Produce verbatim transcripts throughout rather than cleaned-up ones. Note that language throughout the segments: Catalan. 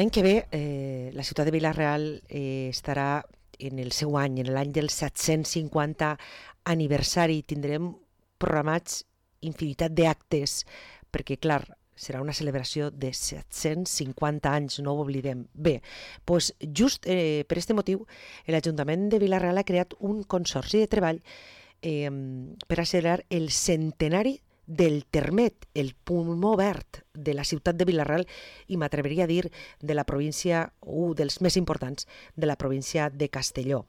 l'any que ve eh, la ciutat de Vila-real eh, estarà en el seu any, en l'any del set-cents cinquanta aniversari. Tindrem programats infinitat d'actes, perquè, clar, serà una celebració de set-cents cinquanta anys, no ho oblidem. Bé, doncs just eh, per aquest motiu, l'Ajuntament de Vila-real ha creat un consorci de treball eh, per a celebrar el centenari del Termet, el pulmó verd de la ciutat de Vila-real i m'atreveria a dir de la província, un dels més importants de la província de Castelló.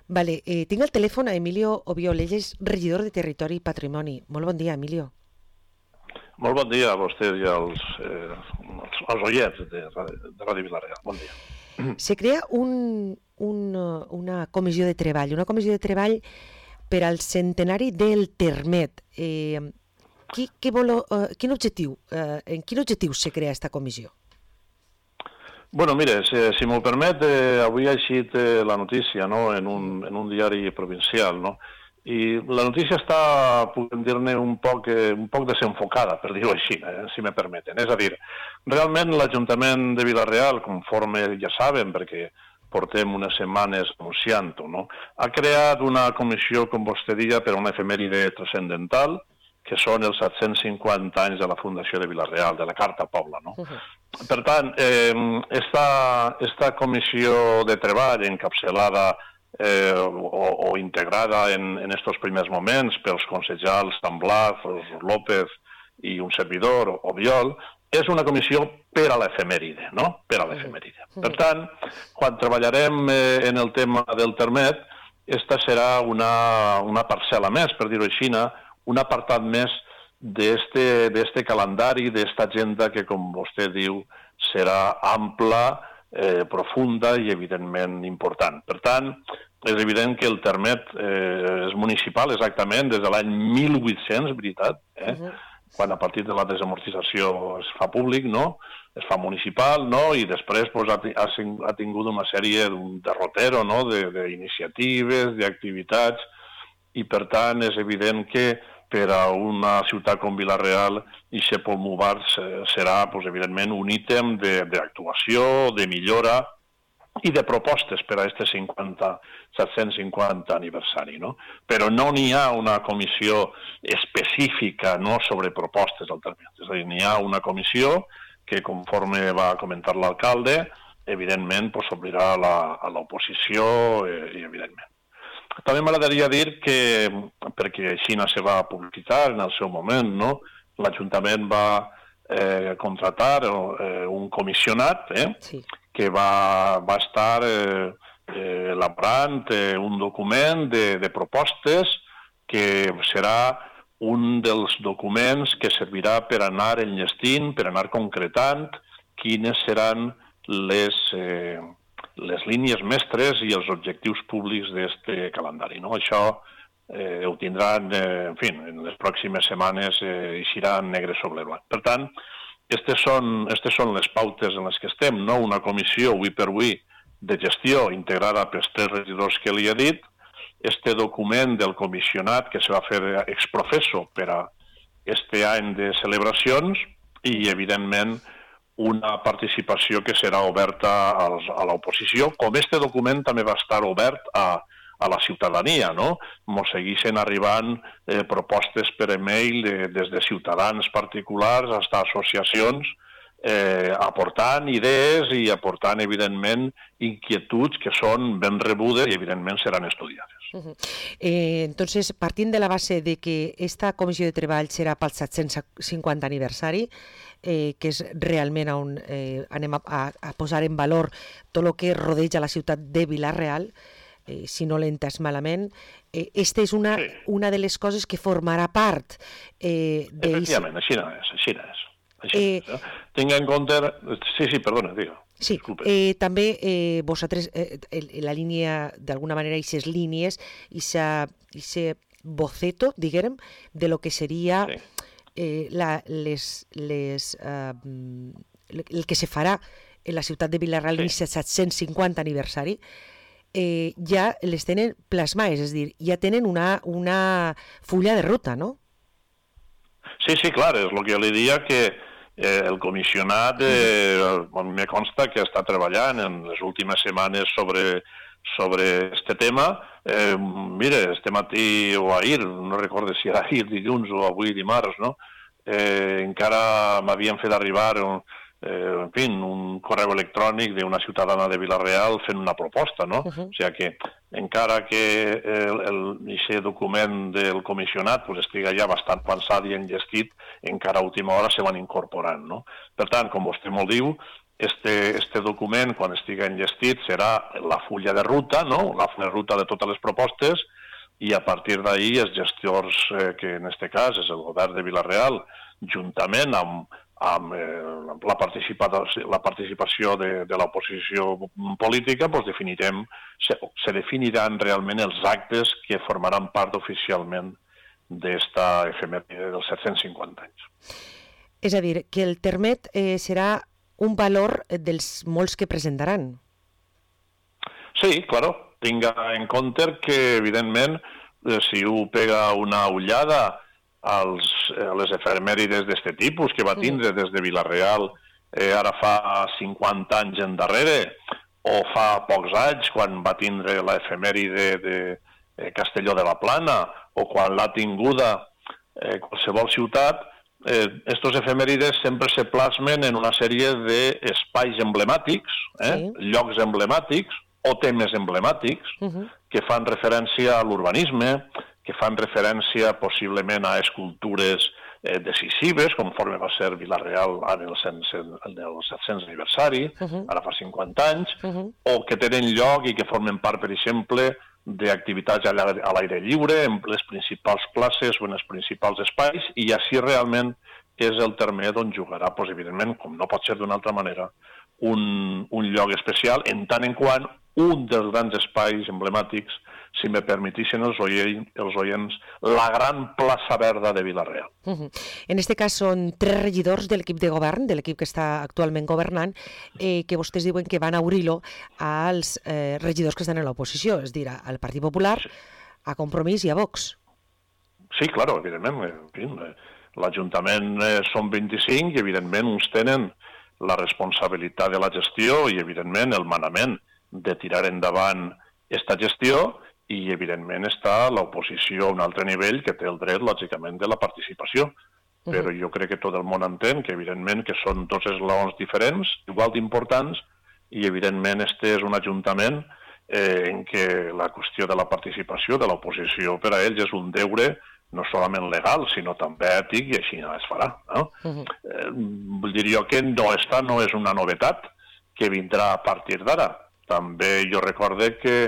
Vale, eh, tinc al telèfon a Emilio Obiol, ell és regidor de Territori i Patrimoni. Molt bon dia, Emilio. Molt bon dia a vostè i als, eh, als, als oients de, de Ràdio Vila-real. Bon dia. Se crea un, un, una comissió de treball, una comissió de treball per al centenari del Termet. Eh, qui, qui vol, uh, quin objectiu, uh, en quin objectiu se crea aquesta comissió? Bueno, mire, si, si m'ho permet, eh, avui ha eixit eh, la notícia, no?, en un, en un diari provincial, no?, i la notícia està, podem dir-ne, un poc, eh, un poc desenfocada, per dir-ho així, eh, si me permeten. És a dir, realment l'Ajuntament de Vila-real, conforme ja saben, perquè portem unes setmanes anunciant-ho, no?, ha creat una comissió, com vostè deia, per a una efemèride transcendental, que són els set-cents cinquanta anys de la Fundació de Vila-real, de la Carta Pobla, no? Uh-huh. Per tant, eh, esta, esta comissió de treball encapçalada eh, o, o integrada en, en estos primers moments pels consellers Tamblaz, López i un servidor, Obiol, és una comissió per a l'efemèride, no? Per a l'efemèride. Uh-huh. Per tant, quan treballarem eh, en el tema del Termet, esta serà una, una parcel·la més, per dir-ho així, un apartat més d'este calendari, d'esta agenda que, com vostè diu, serà ampla, eh, profunda i, evidentment, important. Per tant, és evident que el Termet eh, és municipal exactament des de l'any mil vuit-cents, veritat, eh? Uh-huh. Quan a partir de la desamortització es fa públic, no?, es fa municipal, no?, i després pues, ha, ha tingut una sèrie d'un derrotero, no?, d'iniciatives, d'activitats, i per tant és evident que per a una ciutat com Vila-real i aquest pulmó verd serà, pues, evidentment, un ítem d'actuació, de millora i de propostes per a aquest set-cents cinquanta aniversari, no? Però no n'hi ha una comissió específica, no, sobre propostes al Termet. És a dir, n'hi ha una comissió que, conforme va comentar l'alcalde, evidentment s'obrirà a l'oposició i, evidentment. També m'agradaria dir que, perquè així se va publicitar en el seu moment, no? L'Ajuntament va eh, contratar eh, un comissionat eh, sí. que va, va estar eh, eh, elaborant eh, un document de, de propostes que serà un dels documents que servirà per anar enllestint, per anar concretant quines seran les... Eh, les línies mestres i els objectius públics d'aquest calendari, no? Això eh, ho tindran, eh, en fi, en les pròximes setmanes eh, eixirà negre sobre blanc. Per tant, aquestes són, aquestes són les pautes en les que estem, no? Una comissió, avui per avui, de gestió integrada pels tres regidors que li he dit, este document del comissionat que se va fer exprofesso per a este any de celebracions i, evidentment, una participació que serà oberta als, a l'oposició, com este document també va estar obert a, a la ciutadania, no? Mos segueixen arribant eh, propostes per e-mail de, des de ciutadans particulars fins a associacions eh, aportant idees i aportant, evidentment, inquietuds que són ben rebudes i, evidentment, seran estudiades. Uh-huh. eh, entonces, partint de la base de que esta comissió de treball serà pel set-cents cinquanta aniversari, eh, que és realment on eh, anem a, a, a posar en valor tot el que rodeja la ciutat de Vila-real, eh, si no l'he entès malament, eh, esta és una, sí. una de les coses que formarà part eh, de... Efectivament, així no és, així no és. Així eh, no és eh? Tinc en compte... Sí, sí, perdona, digue. Sí, eh, també eh, vosaltres, eh, la línia, d'alguna manera, aquestes línies, aquest boceto, diguem, de lo que seria sí. eh, la, les, les, eh, el que se farà en la ciutat de Vila-real en sí. set-cents cinquanta aniversari, eh, ja les tenen plasmades, és a dir, ja tenen una, una fulla de ruta, no? Sí, sí, clar, és el que li dia que Eh, el comissionat eh, me consta que està treballant en les últimes setmanes sobre sobre este tema. Eh, mire, este matí o ahir, no recordo si era ahir, dilluns o avui dimarts, no? Eh, encara m'havien fet arribar un, eh, en fi, un correu electrònic d'una ciutadana de Vila-real fent una proposta, no? Uh-huh. O sigui que encara que el, el, aquest document del comissionat pues, estiga ja bastant pensat i enllestit, encara a última hora se van incorporant, no? Per tant, com vostè molt diu, Este, este document, quan estigui enllestit, serà la fulla de ruta, no? La fulla de ruta de totes les propostes, i a partir d'ahir els gestors, eh, que en aquest cas és el govern de Vila-real, juntament amb, amb eh, la, participació, la participació de, de l'oposició política, doncs definirem, se, se definiran realment els actes que formaran part oficialment d'esta efemèride dels set-cents cinquanta anys. És a dir, que el termet eh, serà un valor dels molts que presentaran. Sí, claro. Tinga en compte que, evidentment, si u pega una ullada als, a les efemèrides d'aquest tipus que va tindre des de Vila-real eh, ara fa cinquanta anys endarrere, o fa pocs anys, quan va tindre l'efemèride de eh, Castelló de la Plana, o quan l'ha tinguda eh, qualsevol ciutat, Eh, estos efemèrides sempre se plasmen en una sèrie d'espais emblemàtics, eh? Sí. Llocs emblemàtics o temes emblemàtics uh-huh. que fan referència a l'urbanisme, que fan referència possiblement a escultures eh, decisives, conforme va ser Vila-real en el, en el set-cents aniversari, uh-huh. ara fa cinquanta anys, uh-huh. o que tenen lloc i que formen part, per exemple, d'activitats a l'aire lliure, en les principals places o en els principals espais, i així realment és el termet on jugarà, doncs, evidentment, com no pot ser d'una altra manera, un, un lloc especial, en tant en quant un dels grans espais emblemàtics, si me permetissin els, oient, els oients, la gran plaça verda de Vila-real. Uh-huh. En este cas són tres regidors de l'equip de govern, de l'equip que està actualment governant, eh, que vostès diuen que van a obrir-lo als eh, regidors que estan en l'oposició, és a dir, al Partit Popular, sí. a Compromís i a Vox. Sí, claro, evidentment. En fi, l'Ajuntament eh, són vint-i-cinc i, evidentment, uns tenen la responsabilitat de la gestió i, evidentment, el manament de tirar endavant aquesta gestió, i, evidentment, està l'oposició a un altre nivell que té el dret, lògicament, de la participació. Uh-huh. Però jo crec que tot el món entén que, evidentment, que són dos esglaons diferents, igual d'importants, i, evidentment, este és un ajuntament eh, en què la qüestió de la participació de l'oposició per a ells és un deure no solament legal, sinó també ètic, i així es farà. No? Uh-huh. eh, vull dir jo que no, esta no és una novetat que vindrà a partir d'ara. També jo recorde que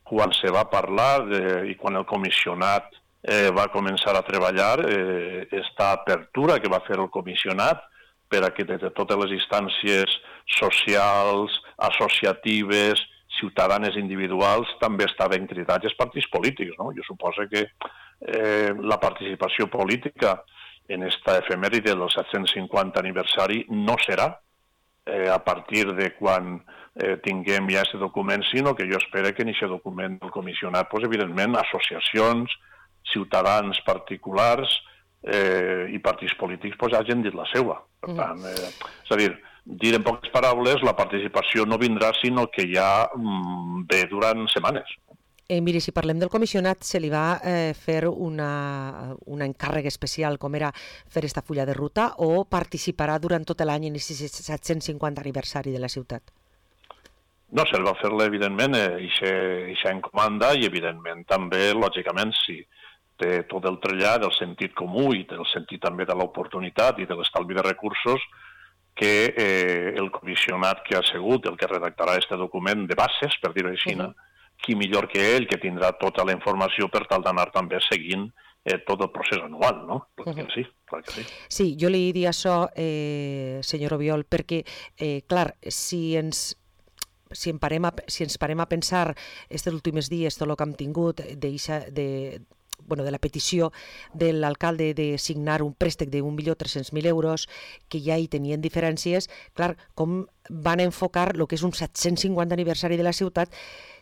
quan se va parlar de, i quan el comissionat eh, va començar a treballar, eh, esta apertura que va fer el comissionat per a que des de totes les instàncies socials, associatives, ciutadanes individuals, també estaven cridats els partits polítics. No? Jo suposo que eh, la participació política en esta efemèride del set-cents cinquanta aniversari no serà eh, a partir de quan eh, tinguem ja aquest document, sinó que jo espero que en aquest document del comissionat, pues, evidentment, associacions, ciutadans particulars eh, i partits polítics pues, hagin dit la seva. Per tant, eh, és a dir, dir en poques paraules, la participació no vindrà, sinó que ja mm, ve durant setmanes. Eh, miri, si parlem del comissionat, se li va eh, fer una, un encàrrec especial, com era fer esta fulla de ruta, o participarà durant tot l'any en aquest set-cents cinquanta aniversari de la ciutat? No, se'l va fer-le, evidentment, eixa encomanda, i, evidentment, també, lògicament, si té tot el trellat, el sentit comú i el sentit també de l'oportunitat i de l'estalvi de recursos, que eh, el comissionat que ha sigut el que redactarà aquest document de bases, per dir-ho així, uh-huh. qui millor que ell, que tindrà tota la informació per tal d'anar també seguint eh, tot el procés anual, no? Clar que sí, clar que sí. Sí, jo li diria això, eh, senyor Obiol, perquè, eh, clar, si ens... Si, en parem a, si ens parem a pensar aquests últims dies, tot el que hem tingut de, de, bueno, de la petició de l'alcalde de signar un préstec d'un milió tres-cents mil euros, que ja hi tenien diferències, clar, com van enfocar el que és un set-cents cinquanta aniversari de la ciutat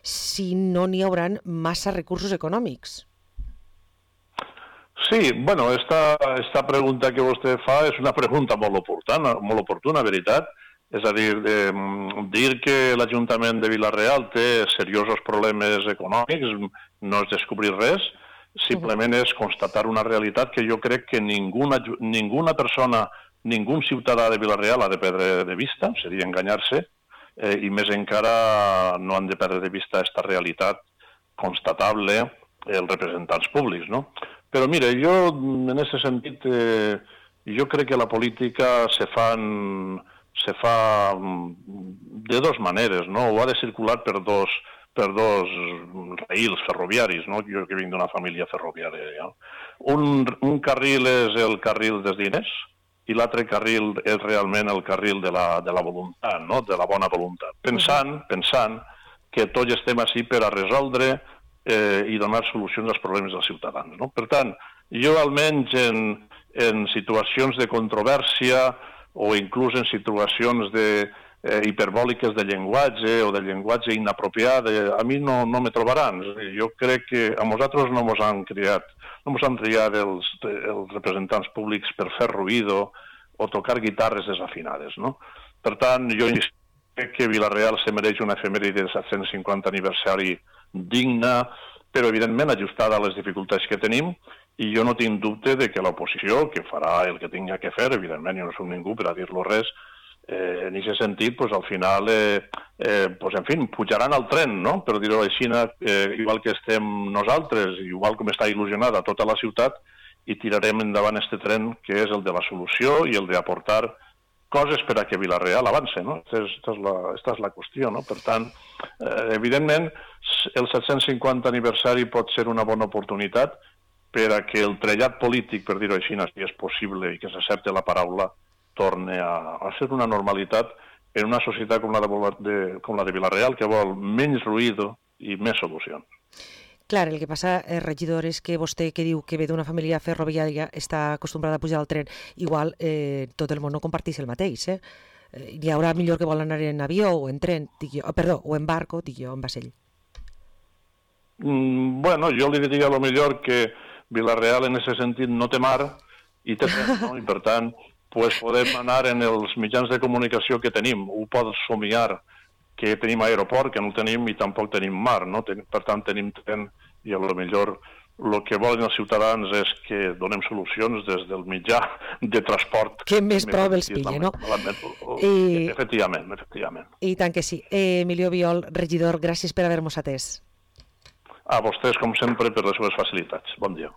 si no n'hi hauran massa recursos econòmics? Sí, bueno, esta, esta pregunta que vostè fa és una pregunta molt oportuna, molt oportuna, veritat. És a dir, eh, dir que l'Ajuntament de Vila-real té seriosos problemes econòmics no és descobrir res, simplement és constatar una realitat que jo crec que ninguna, ninguna persona, ningú ciutadà de Vila-real ha de perdre de vista, seria enganyar-se, eh, i més encara no han de perdre de vista aquesta realitat constatable els representants públics, no? Però mira, jo en aquest sentit, eh, jo crec que la política se fan... se fa de dos maneres, no? O ha de circular per dos, per dos raïls ferroviaris, no? Jo que vinc d'una família ferroviària. Ja? Un, un carril és el carril dels diners i l'altre carril és realment el carril de la, de la voluntat, no? De la bona voluntat. Pensant, pensant que tots estem així per a resoldre eh, i donar solucions als problemes dels ciutadans, no? Per tant, jo almenys en, en situacions de controvèrsia o inclús en situacions de, eh, hiperbòliques de llenguatge o de llenguatge inapropiat, eh, a mi no, no me trobaran. Jo crec que a nosaltres no ens han criat, no ens han triat els, els representants públics per fer ruïdo o tocar guitarres desafinades, no? Per tant, jo crec que Vila-real se mereix una efemèride del set-cents cinquanta aniversari digna, però evidentment ajustada a les dificultats que tenim, i jo no tinc dubte de que l'oposició, que farà el que tinga que fer, evidentment jo no soc ningú per a dir-lo res, eh, en aquest sentit, pues, al final, eh, eh, pues, en fi, pujaran al tren, no? Per dir-ho així, eh, igual que estem nosaltres, igual com està il·lusionada tota la ciutat, i tirarem endavant este tren, que és el de la solució i el d'aportar coses per a que Vila-real avance, no? Esta és, esta és, la, esta és la qüestió, no? Per tant, eh, evidentment, el set-cents cinquanta aniversari pot ser una bona oportunitat per a que el trellat polític, per dir-ho així, si és possible i que s'accepte la paraula, torni a, a ser una normalitat en una societat com la de, de, com la de Vila-real, que vol menys ruïdo i més solucions. Clar, el que passa, eh, regidor, és que vostè que diu que ve d'una família ferroviària està acostumbrada a pujar al tren, igual eh, tot el món no comparteix el mateix, eh? Hi haurà millor que vol anar en avió o en tren, dic jo, perdó, o en barco, dic jo, en vaixell. Mm, bueno, jo li diria a lo millor que Vila-real en aquest sentit no té mar i té tren, no? I per tant, pues, podem anar en els mitjans de comunicació que tenim. Ho pots somiar que tenim aeroport, que no tenim, i tampoc tenim mar, no? Per tant, tenim tren i a lo millor el que volen els ciutadans és que donem solucions des del mitjà de transport. Que més prou els pilla, no? I... Efectivament, efectivament. I tant que sí. Eh, Emilio Biol, regidor, gràcies per haver-nos atès. A vostès, com sempre, per les seves facilitats. Bon dia.